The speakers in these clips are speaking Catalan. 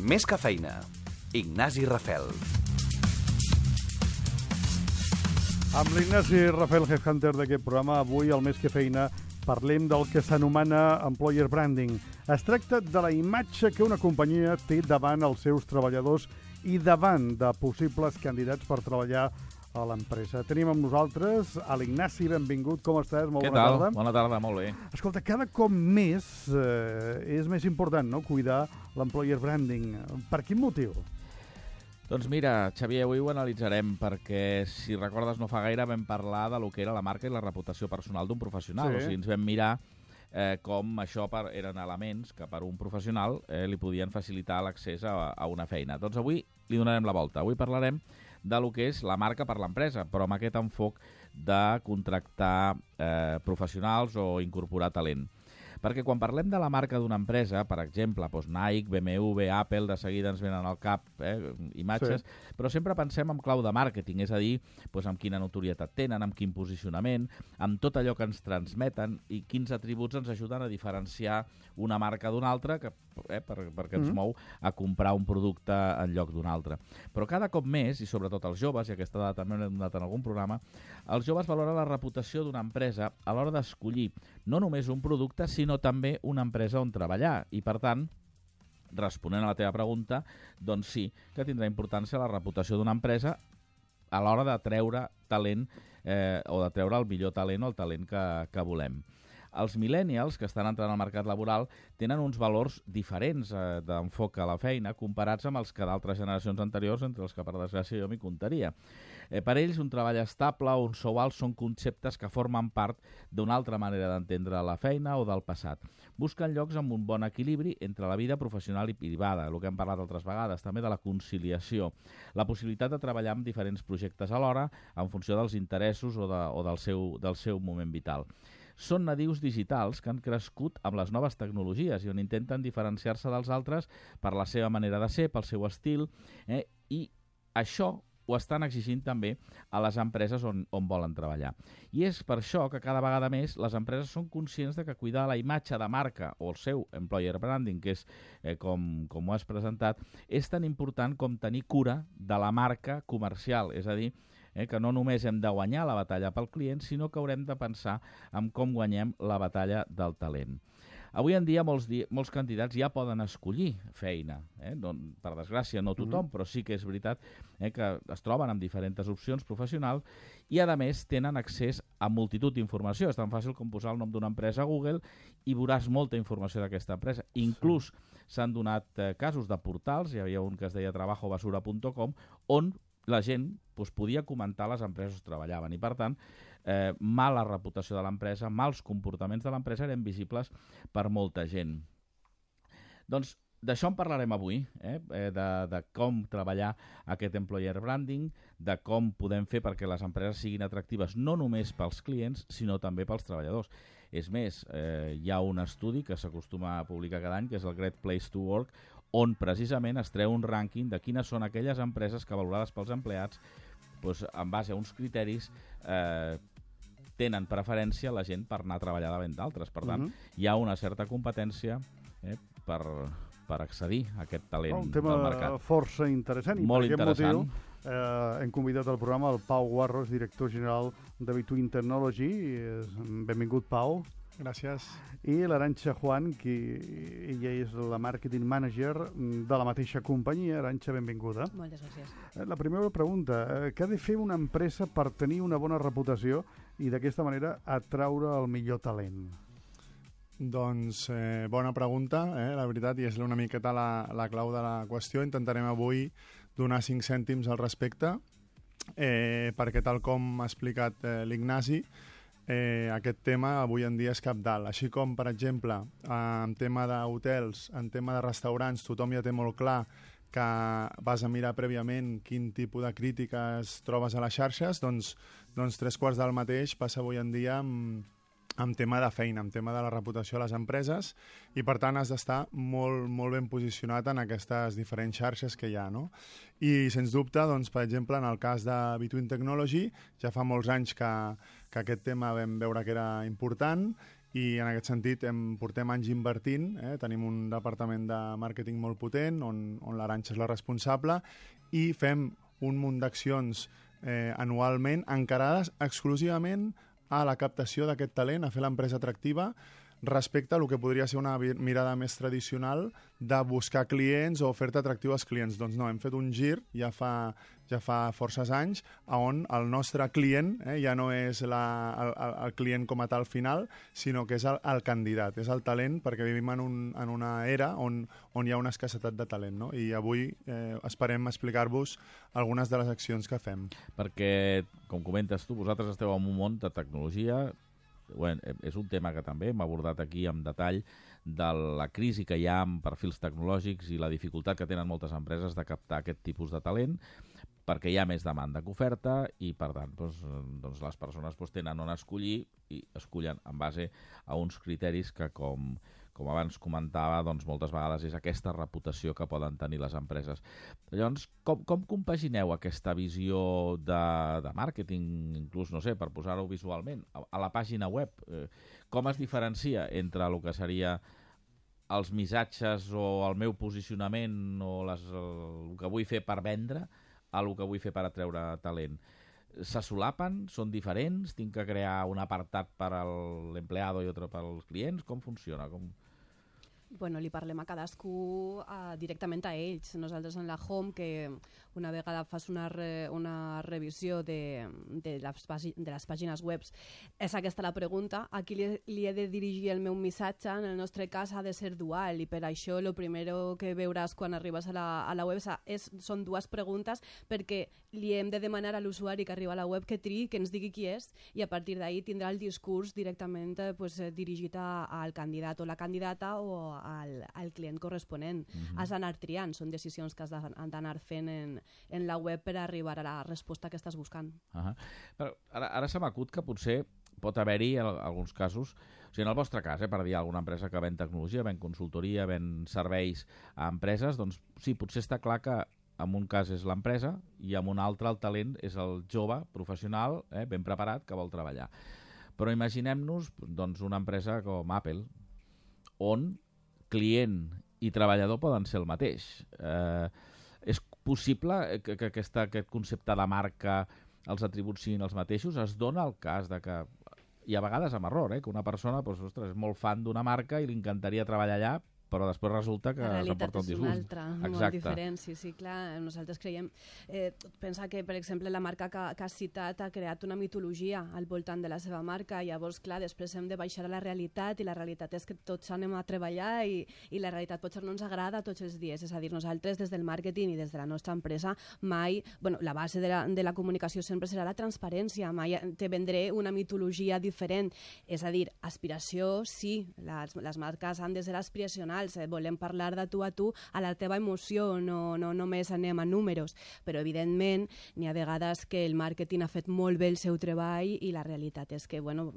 Més que feina. Ignasi Rafel. Amb l'Ignasi Rafel, headhunter d'aquest programa, avui al Més que feina parlem del que s'anomena employer branding. Es tracta de la imatge que una companyia té davant els seus treballadors i davant de possibles candidats per treballar a l'empresa. Tenim amb nosaltres a l'Ignasi, benvingut, com estàs? Molt bona tarda. Bona tarda, molt bé. Escolta, cada cop més és més important, no?, cuidar l'employer branding. Per quin motiu? Doncs mira, Xavier, avui ho analitzarem perquè, si recordes, no fa gaire vam parlar de lo que era la marca i la reputació personal d'un professional. Sí. O sigui, ens vam mirar com això eren elements que per un professional li podien facilitar l'accés a una feina. Doncs avui li donarem la volta. Avui parlarem de lo que és la marca per l'empresa, però amb aquest enfoc de contractar professionals o incorporar talent. Perquè quan parlem de la marca d'una empresa, per exemple, doncs Nike, BMW, Apple, de seguida ens venen al cap imatges, sí, però sempre pensem en clau de màrqueting, és a dir, doncs amb quina notorietat tenen, amb quin posicionament, amb tot allò que ens transmeten i quins atributs ens ajuden a diferenciar una marca d'una altra perquè ens mou a comprar un producte en lloc d'un altre. Però cada cop més, i sobretot els joves, i aquesta dada també l'hem donat en algun programa, els joves valoren la reputació d'una empresa a l'hora d'escollir no només un producte, sinó també una empresa on treballar. I, per tant, responent a la teva pregunta, doncs sí que tindrà importància la reputació d'una empresa a l'hora de treure talent o de treure el millor talent o el talent que volem. Els millennials, que estan entrant al mercat laboral, tenen uns valors diferents d'enfoc a la feina comparats amb els que d'altres generacions anteriors, entre els que, per desgràcia, jo m'hi comptaria. Per ells, un treball estable o un sou alt són conceptes que formen part d'una altra manera d'entendre la feina o del passat. Busquen llocs amb un bon equilibri entre la vida professional i privada, el que hem parlat altres vegades, també de la conciliació, la possibilitat de treballar amb diferents projectes alhora en funció dels interessos o del seu moment vital. Són nadius digitals que han crescut amb les noves tecnologies i on intenten diferenciar-se dels altres per la seva manera de ser, pel seu estil, i això ho estan exigint també a les empreses on volen treballar. I és per això que cada vegada més les empreses són conscients de que cuidar la imatge de marca o el seu employer branding, que és com ho has presentat, és tan important com tenir cura de la marca comercial, és a dir, que no només hem de guanyar la batalla pel client, sinó que haurem de pensar en com guanyem la batalla del talent. Avui en dia molts candidats ja poden escollir feina. Per desgràcia, no tothom, però sí que és veritat que es troben amb diferents opcions professionals i, a més, tenen accés a multitud d'informació. És tan fàcil com posar el nom d'una empresa a Google i veuràs molta informació d'aquesta empresa. Inclús s'han donat casos de portals, hi havia un que es deia trabajobasura.com, on la gent podia comentar les empreses on treballaven i, per tant, mala reputació de l'empresa, mals comportaments de l'empresa eren visibles per molta gent. Doncs d'això en parlarem avui, de com treballar aquest employer branding, de com podem fer perquè les empreses siguin atractives no només pels clients, sinó també pels treballadors. És més, hi ha un estudi que s'acostuma a publicar cada any, que és el Great Place to Work, on precisament es treu un rànquing de quines són aquelles empreses que, valorades pels empleats, en base a uns criteris, tenen preferència la gent per anar a treballar davant d'altres. Per tant, hi ha una certa competència per accedir a aquest talent del mercat. Un tema força interessant. I molt per aquest interessant. motiu hem convidat al programa el Pau Guarros, director general de Between Technology. Benvingut, Pau. Gràcies. I l'Arantxa Juan, que ella és la marketing manager de la mateixa companyia. Arantxa, benvinguda. Moltes gràcies. La primera pregunta, què ha de fer una empresa per tenir una bona reputació i d'aquesta manera atraure el millor talent? Doncs bona pregunta, la veritat, i és una miqueta la clau de la qüestió. Intentarem avui donar 5 cèntims al respecte, perquè tal com ha explicat l'Ignasi, aquest tema avui en dia és cabdal. Així com, per exemple, en tema d'hotels, en tema de restaurants, tothom ja té molt clar que vas a mirar prèviament quin tipus de crítiques trobes a les xarxes, doncs 3/4 del mateix passa avui en dia amb tema de feina, amb tema de la reputació a les empreses, i per tant has d'estar molt, molt ben posicionat en aquestes diferents xarxes que hi ha, no? I sens dubte, doncs, per exemple, en el cas de Between Technology, ja fa molts anys que aquest tema vam veure que era important, i en aquest sentit portem anys invertint, tenim un departament de màrqueting molt potent on l'Arantxa és la responsable i fem un munt d'accions anualment encarades exclusivament a la captació d'aquest talent, a fer l'empresa atractiva respecte a el que podria ser una mirada més tradicional de buscar clients o oferta atractiva als clients. Doncs no, hem fet un gir ja fa forces anys on el nostre client ja no és el client com a tal final, sinó que és el candidat, és el talent, perquè vivim en una era on hi ha una escassetat de talent, no? I avui esperem explicar-vos algunes de les accions que fem. Perquè, com comentes tu, vosaltres esteu en un món de tecnologia. Bueno, és un tema que també hem abordat aquí en detall, de la crisi que hi ha amb perfils tecnològics i la dificultat que tenen moltes empreses de captar aquest tipus de talent, perquè hi ha més demanda que oferta i, per tant, doncs les persones tenen on escollir i escollen en base a uns criteris que, com abans comentava, doncs moltes vegades és aquesta reputació que poden tenir les empreses. Llavors, com compagineu aquesta visió de màrqueting, inclús, no sé, per posar-ho visualment, a la pàgina web? Com es diferencia entre el que seria els missatges o el meu posicionament o el que vull fer per vendre a el que vull fer per atreure talent? Se solapen? Són diferents? Tinc que crear un apartat per a l'empleado i altre per als clients? Com funciona? Bueno, li parlem a cadascú directament a ells. Nosaltres en la Home, que una vegada fas una revisió de les pàgines web, és aquesta la pregunta. A qui li he de dirigir el meu missatge? En el nostre cas ha de ser dual, i per això el primer que veuràs quan arribes a la web són dues preguntes, perquè li hem de demanar a l'usuari que arriba a la web que triï, que ens digui qui és, i a partir d'ahir tindrà el discurs directament dirigit al candidat o la candidata o al client corresponent. Has d'anar triant, són decisions que has d'anar fent en la web per arribar a la resposta que estàs buscant. Però ara se m'acut que potser pot haver-hi alguns casos, o sigui, en el vostre cas, per dir alguna empresa que ven tecnologia, ven consultoria, ven serveis a empreses, doncs sí, potser està clar que en un cas és l'empresa i en un altre el talent és el jove professional ben preparat que vol treballar. Però imaginem-nos doncs, una empresa com Apple, on client i treballador poden ser el mateix. És possible que aquest concepte de marca, els atributs siguin els mateixos? Es dona el cas de que, i a vegades amb error, que una persona és molt fan d'una marca i li encantaria treballar allà, però després resulta que s'emporta un disgust. La realitat és una altra, molt diferent. Sí, clar, nosaltres creiem... pensa que, per exemple, la marca que has citat ha creat una mitologia al voltant de la seva marca, i llavors, clar, després hem de baixar a la realitat, i la realitat és que tots anem a treballar i la realitat potser no ens agrada tots els dies. És a dir, nosaltres des del màrqueting i des de la nostra empresa mai... Bueno, la base de la comunicació sempre serà la transparència, mai te vendré una mitologia diferent. És a dir, aspiració, sí, les marques han de ser aspiracionals, volem parlar de tu a tu a la teva emoció, no només anem a números, però evidentment n'hi ha vegades que el màrqueting ha fet molt bé el seu treball i la realitat és que, bueno,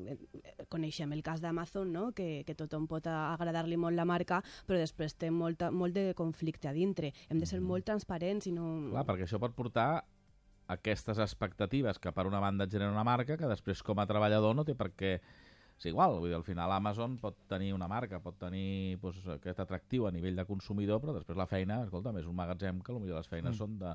coneixem el cas d'Amazon, no? Que tothom pot agradar-li molt la marca, però després té molt de conflicte a dintre. Hem de ser molt transparents i no... Clar, perquè això pot portar aquestes expectatives que per una banda et genera una marca que després com a treballador no té per què és igual. Vull dir, al final Amazon pot tenir una marca, pot tenir aquest atractiu a nivell de consumidor, però després la feina, escolta'm, és un magatzem que potser les feines són de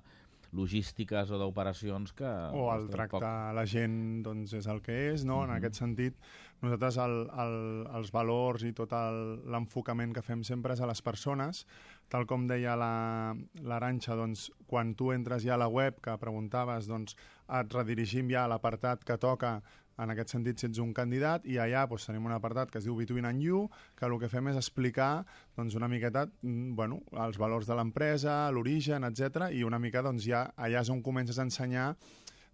logístiques o d'operacions que... O el tracte a la gent doncs, és el que és, no? En aquest sentit, nosaltres els valors i tot l'enfocament que fem sempre és a les persones. Tal com deia l'Arantxa, doncs, quan tu entres ja a la web, que preguntaves, doncs, et redirigim ja a l'apartat que toca. En aquest sentit, si ets un candidat, i allà doncs, tenim un apartat que es diu Between and You, que el que fem és explicar doncs, una miqueta els valors de l'empresa, l'origen, etc. I una mica doncs, ja allà és on comences a ensenyar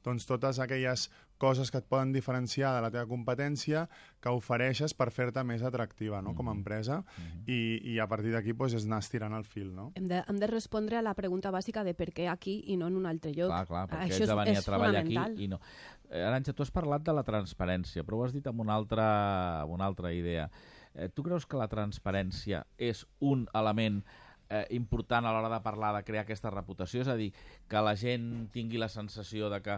doncs, totes aquelles coses que et poden diferenciar de la teva competència que ofereixes per fer-te més atractiva, no? Com a empresa, i a partir d'aquí doncs, és anar estirant el fil. No? Hem de respondre a la pregunta bàsica de per què aquí i no en un altre lloc. Clar, perquè ets de venir a treballar aquí i no. Arantxa, tu has parlat de la transparència, però ho has dit amb una altra idea. Tu creus que la transparència és un element important a l'hora de parlar, de crear aquesta reputació? És a dir, que la gent tingui la sensació de que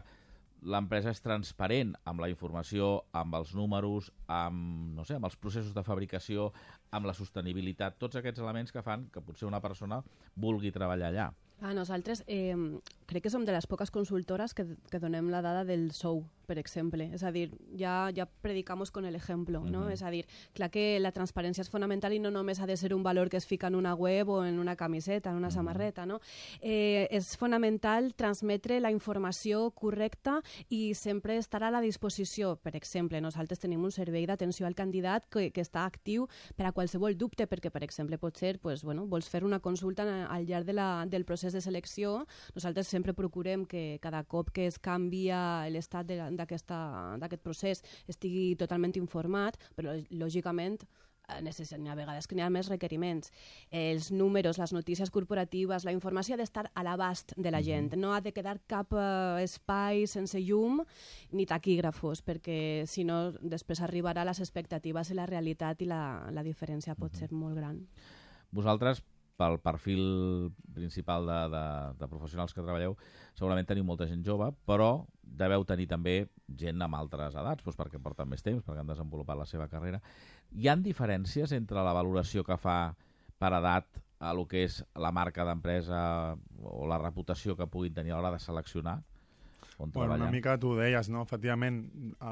l'empresa és transparent amb la informació, amb els números, amb, no sé, amb els processos de fabricació, amb la sostenibilitat, tots aquests elements que fan que potser una persona vulgui treballar allà. Nosaltres crec que som de les poques consultores que donem la dada del sou, per exemple. És a dir, ja predicamos con el ejemplo, no? És a dir, clar que la transparència és fonamental i no només ha de ser un valor que es fica en una web o en una camiseta, en una samarreta, no? És fonamental transmetre la informació correcta i sempre estar a la disposició. Per exemple, nosaltres tenim un servei d'atenció al candidat que està actiu per a qualsevol dubte, perquè, per exemple, pot ser, vols fer una consulta al llarg del procés de selecció. Nosaltres sempre procurem que cada cop que es canvia l'estat d'aquest procés estigui totalment informat, però lògicament a vegades que n'hi ha més requeriments. Els números, les notícies corporatives, la informació ha d'estar a l'abast de la gent. No ha de quedar cap espai sense llum ni taquígrafos, perquè si no després arribarà a les expectatives i la realitat i la diferència pot ser molt gran. Vosaltres, pel perfil principal de professionals que treballeu, segurament teniu molta gent jove, però deveu tenir també gent amb altres edats, doncs perquè porten més temps, perquè han desenvolupat la seva carrera. Hi ha diferències entre la valoració que fa per edat a lo que és la marca d'empresa o la reputació que puguin tenir a l'hora de seleccionar on treballar? Una mica tu ho deies, no? Efectivament,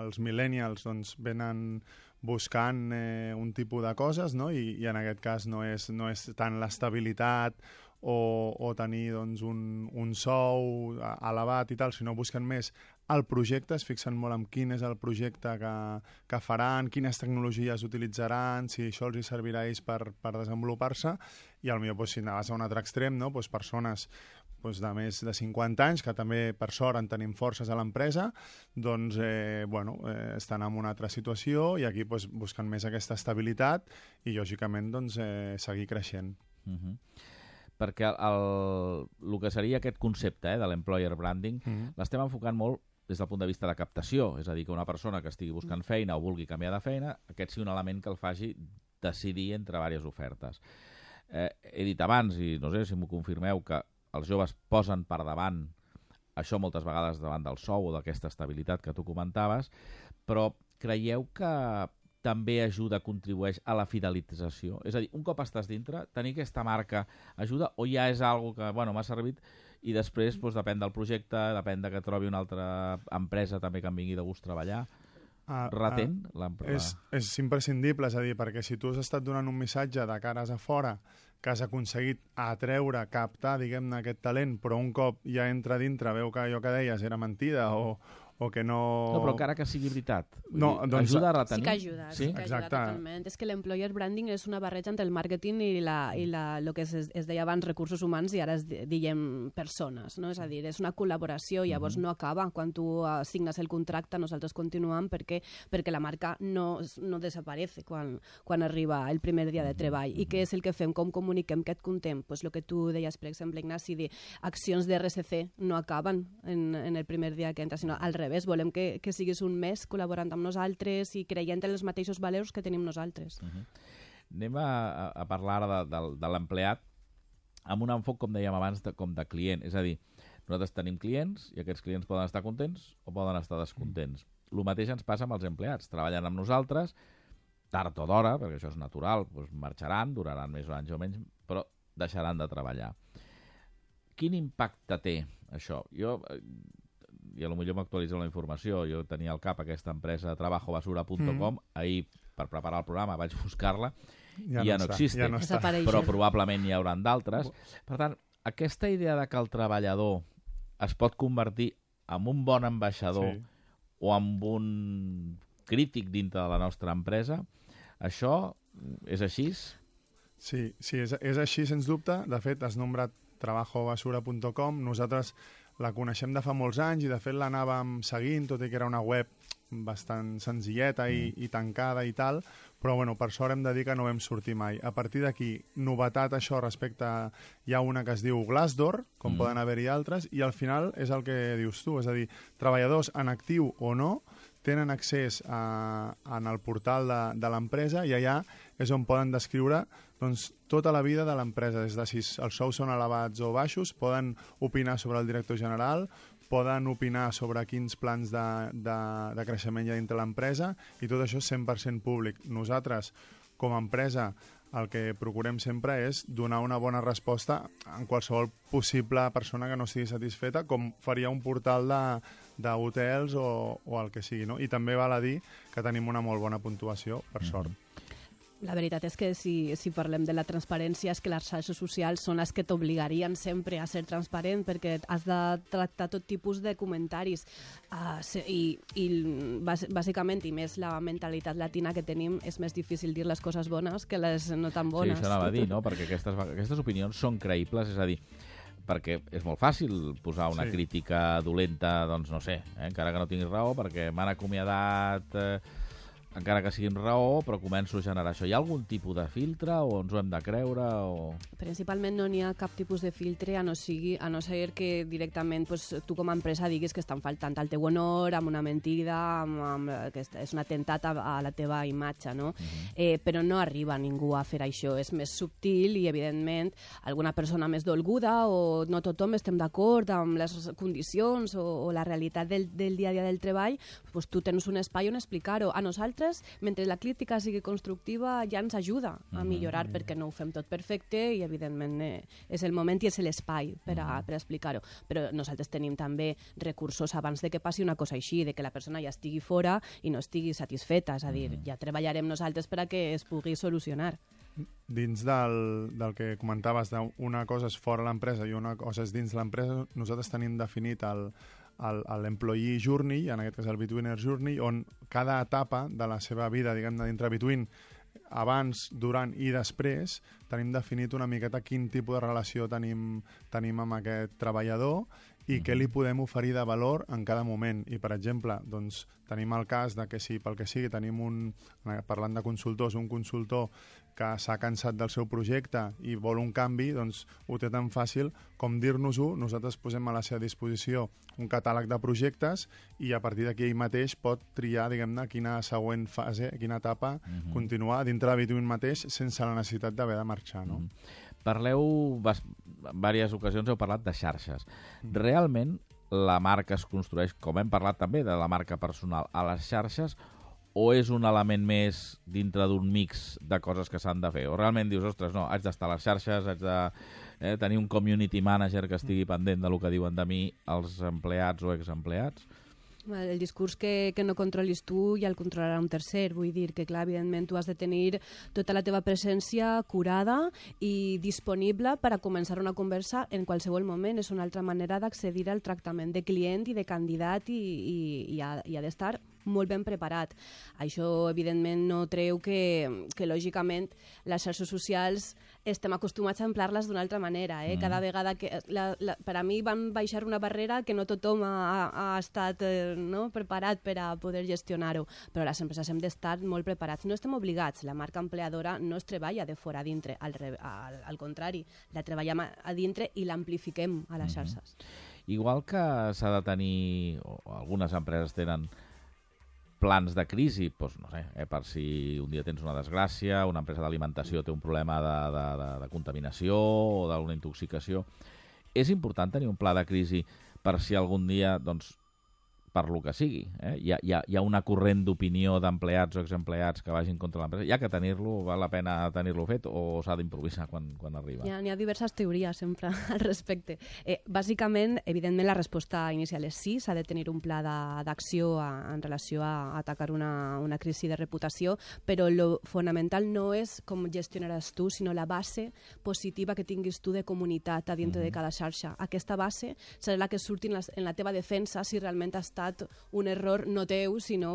els millennials doncs, venen buscant un tipus de coses, no? I en aquest cas no és tant l'estabilitat o tenir doncs, un sou elevat i tal, sinó busquen més el projecte, es fixen molt en quin és el projecte que faran, quines tecnologies utilitzaran, si això els servirà a ells per desenvolupar-se, i potser si anaves a un altre extrem, no? Persones de més de 50 anys, que també, per sort, en tenim forces a l'empresa, doncs, estan en una altra situació i aquí busquen més aquesta estabilitat i, lògicament, seguir creixent. Perquè el que seria aquest concepte de l'employer branding l'estem enfocant molt des del punt de vista de captació, és a dir, que una persona que estigui buscant feina o vulgui canviar de feina, aquest sigui un element que el faci decidir entre diverses ofertes. He dit abans, i no sé si m'ho confirmeu, que els joves posen per davant això moltes vegades davant del sou o d'aquesta estabilitat que tu comentaves, però creieu que també ajuda, contribueix a la fidelització? És a dir, un cop estàs dintre, tenir aquesta marca ajuda o ja és algo que m'ha servit i després depèn del projecte, depèn de que trobi una altra empresa també que em vingui de gust treballar? Retén l'empresa? És imprescindible, és a dir, perquè si tu has estat donant un missatge de cares a fora que has aconseguit atreure, captar, diguem-ne, aquest talent, però un cop ja entra dintre, veu que allò que deies era mentida o que no... No, però encara que sigui veritat. Ajuda a retenir? Sí que ajuda, sí que ajuda totalment. És que l'employer branding és una barreja entre el màrqueting i el que es deia abans recursos humans i ara es diem persones, no? És a dir, és una col·laboració, llavors no acaba. Quan tu signes el contracte, nosaltres continuem perquè la marca no desaparece quan arriba el primer dia de treball. I què és el que fem? Com comuniquem? Què et contem? Pues el que tu deies, per exemple, Ignasi, accions de RSC no acaben en el primer dia que entres, sinó al revés. Volem que siguis un mes col·laborant amb nosaltres i creient en els mateixos valors que tenim nosaltres. Anem a parlar ara de l'empleat amb un enfoc, com dèiem abans, com de client. És a dir, nosaltres tenim clients i aquests clients poden estar contents o poden estar descontents. El mateix ens passa amb els empleats. Treballen amb nosaltres, tard o d'hora, perquè això és natural, marxaran, duraran més o anys o menys, però deixaran de treballar. Quin impacte té això? I potser m'actualitzeu la informació. Jo tenia al cap aquesta empresa trabajobasura.com. Ahir, per preparar el programa, vaig buscar-la i ja no existe. Ja no està. Però probablement n'hi hauran d'altres. Per tant, aquesta idea de que el treballador es pot convertir en un bon ambaixador o en un crític dintre de la nostra empresa, això és així? Sí, és així, sens dubte. De fet, has nombrat trabajobasura.com. Nosaltres la coneixem de fa molts anys i de fet l'anàvem seguint, tot i que era una web bastant senzilleta i tancada i tal, però per sort hem de dir que no vam sortir mai. A partir d'aquí, novetat això respecte a... Hi ha una que es diu Glassdoor, com poden haver-hi altres, i al final és el que dius tu, és a dir, treballadors en actiu o no tenen accés en el portal de l'empresa i allà és on poden descriure tota la vida de l'empresa, des de si els sous són elevats o baixos, poden opinar sobre el director general, poden opinar sobre quins plans de creixement hi ha dintre l'empresa, i tot això és 100% públic. Nosaltres, com a empresa, el que procurem sempre és donar una bona resposta en qualsevol possible persona que no estigui satisfeta, com faria un portal d'hotels o el que sigui, no? I també val a dir que tenim una molt bona puntuació, per sort. La veritat és que si parlem de la transparència és que les xarxes socials són les que t'obligarien sempre a ser transparent, perquè has de tractar tot tipus de comentaris i bàsicament, i més la mentalitat latina que tenim, és més difícil dir les coses bones que les no tan bones. Sí, això anava a dir, no? Perquè aquestes opinions són creïbles, és a dir, perquè és molt fàcil posar una crítica dolenta, doncs no sé, encara que no tinguis raó, perquè m'han acomiadat... encara que siguin raó, però començo a generar això. Hi ha algun tipus de filtre o ens ho hem de creure? O... Principalment no n'hi ha cap tipus de filtre, a no ser que directament tu com a empresa diguis que estan faltant al teu honor, amb una mentida, que és un atemptat a la teva imatge, no? Però no arriba ningú a fer això. És més subtil i, evidentment, alguna persona més dolguda o no tothom estem d'acord amb les condicions o la realitat del dia a dia del treball, doncs tu tens un espai on explicar-ho. A nosaltres, mentre la crítica sigui constructiva, ja ens ajuda a millorar, perquè no ho fem tot perfecte i, evidentment, és el moment i és l'espai per explicar-ho. Però nosaltres tenim també recursos abans de que passi una cosa així, de que la persona ja estigui fora i no estigui satisfeta. És a dir, ja treballarem nosaltres per a que es pugui solucionar. Dins del que comentaves, una cosa és fora l'empresa i una cosa és dins l'empresa, nosaltres tenim definit l'employee journey, en aquest cas el Betweener journey, on cada etapa de la seva vida, diguem-ne, dintre Between, abans, durant i després, tenim definit una miqueta quin tipus de relació tenim amb aquest treballador i què li podem oferir de valor en cada moment. I, per exemple, doncs, tenim el cas de que si pel que sigui tenim parlant de consultors, un consultor que s'ha cansat del seu projecte i vol un canvi, doncs ho té tan fàcil com dir-nos-ho, nosaltres posem a la seva disposició un catàleg de projectes i a partir d'aquí ell mateix pot triar, diguem-ne, quina següent fase, quina etapa continuar dintre de Between mateix sense la necessitat d'haver de marxar, no? Parleu, en diverses ocasions heu parlat de xarxes. Realment la marca es construeix, com hem parlat també de la marca personal, a les xarxes, o és un element més dintre d'un mix de coses que s'han de fer? O realment dius, ostres, no, haig d'estar a les xarxes, haig de tenir un community manager que estigui pendent del que diuen de mi els empleats o exempleats? El discurs que no controlis tu ja el controlarà un tercer. Vull dir que, clar, evidentment, tu has de tenir tota la teva presència curada i disponible per a començar una conversa en qualsevol moment. És una altra manera d'accedir al tractament de client i de candidat i ha d'estar molt ben preparat. Això, evidentment, no treu que lògicament, les xarxes socials estem acostumats a emplear-les d'una altra manera. Cada vegada que... per a mi van baixar una barrera que no tothom ha estat preparat per a poder gestionar-ho, però les empreses hem d'estar molt preparats. No estem obligats. La marca empleadora no es treballa de fora a dintre. Al contrari, la treballem a dintre i l'amplifiquem a les xarxes. Igual que s'ha de tenir, o algunes empreses tenen plans de crisi, doncs, no sé, per si un dia tens una desgràcia, una empresa d'alimentació té un problema de contaminació o d'una intoxicació. És important tenir un pla de crisi per si algun dia, doncs, per lo que sigui, hi ha una corrent d'opinió d'empleats o exempleats que vagin contra l'empresa. Hi ha que tenir-lo, val la pena tenir-lo fet o s'ha d'improvisar quan arriba? N'hi ha diverses teories sempre al respecte. Bàsicament, evidentment, la resposta inicial és sí, s'ha de tenir un pla d'acció en relació a atacar una crisi de reputació, però lo fonamental no és com gestionaràs tu, sinó la base positiva que tinguis tu de comunitat a dintre de cada xarxa. Aquesta base serà la que surti en la teva defensa si realment ha estat un error no teu, sinó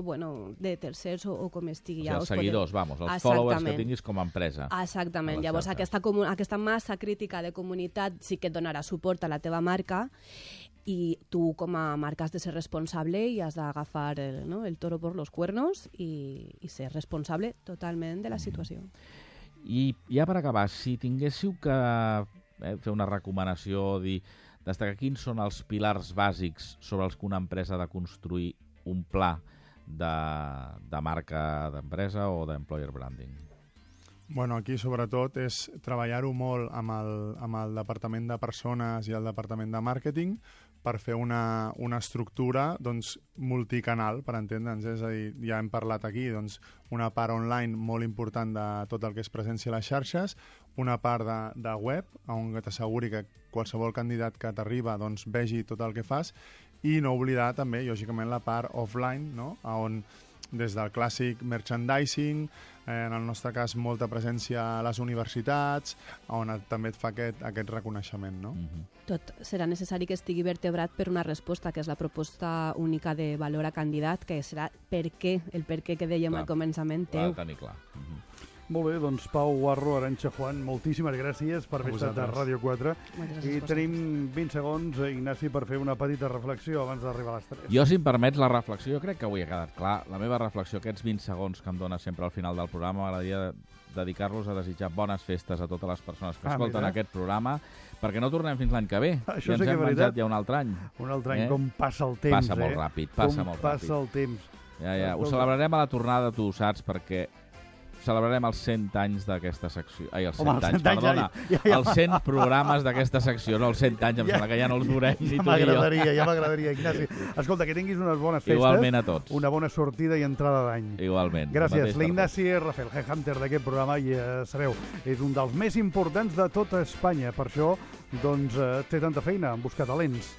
de tercers o com estigui. O sigui, els seguidors, els followers que tinguis com a empresa. Exactament. Llavors, aquesta massa crítica de comunitat sí que et donarà suport a la teva marca i tu com a marca has de ser responsable i has d'agafar el toro por los cuernos i ser responsable totalment de la situació. I ja per acabar, si tinguéssiu que fer una recomanació, destacar quins són els pilars bàsics sobre els que una empresa ha de construir un pla de marca d'empresa o d'employer branding? Bueno, aquí sobretot és treballar-ho molt amb el departament de persones i el departament de màrqueting per fer una estructura doncs, multicanal, per entendre'ns. És a dir, ja hem parlat aquí, doncs, una part online molt important de tot el que és presència a les xarxes, una part de web, on t'asseguri que qualsevol candidat que t'arriba doncs, vegi tot el que fas, i no oblidar també, lògicament, la part offline, no? On des del clàssic merchandising, en el nostre cas molta presència a les universitats, on també et fa aquest reconeixement. No? Tot serà necessari que estigui vertebrat per una resposta, que és la proposta única de valor a candidat, que serà el per què que dèiem al començament teu. Clar, tenir clar. Molt bé, doncs Pau Guarro, Arantxa Juan, moltíssimes gràcies per haver estat a Ràdio 4. I tenim 20 segons, Ignasi, per fer una petita reflexió abans d'arribar a les 3. Jo, si em permets la reflexió, jo crec que avui ha quedat clar. La meva reflexió, aquests 20 segons que em dona sempre al final del programa, m'agradaria dedicar-los a desitjar bones festes a totes les persones que escolten aquest programa, perquè no tornem fins l'any que ve. Això ja ens hem menjat ja un altre any. Un altre any, com passa el temps, Passa molt ràpid, passa molt ràpid. Passa el temps. Ja. Ho celebrarem a la tornada, tu ho saps, perquè celebrarem els 100 anys d'aquesta secció. Ai, els 100 anys, perdona. Els 100 programes d'aquesta secció, no els 100 anys, em sembla que ja no els veurem ni tu ni jo. Ja m'agradaria, Ignasi. Escolta, que tinguis unes bones festes. Igualment a tots. Una bona sortida i entrada d'any. Igualment. Gràcies. L'Ignasi Rafel, Headhunter d'aquest programa, i sabeu, és un dels més importants de tota Espanya. Per això, doncs, té tanta feina en buscar talents.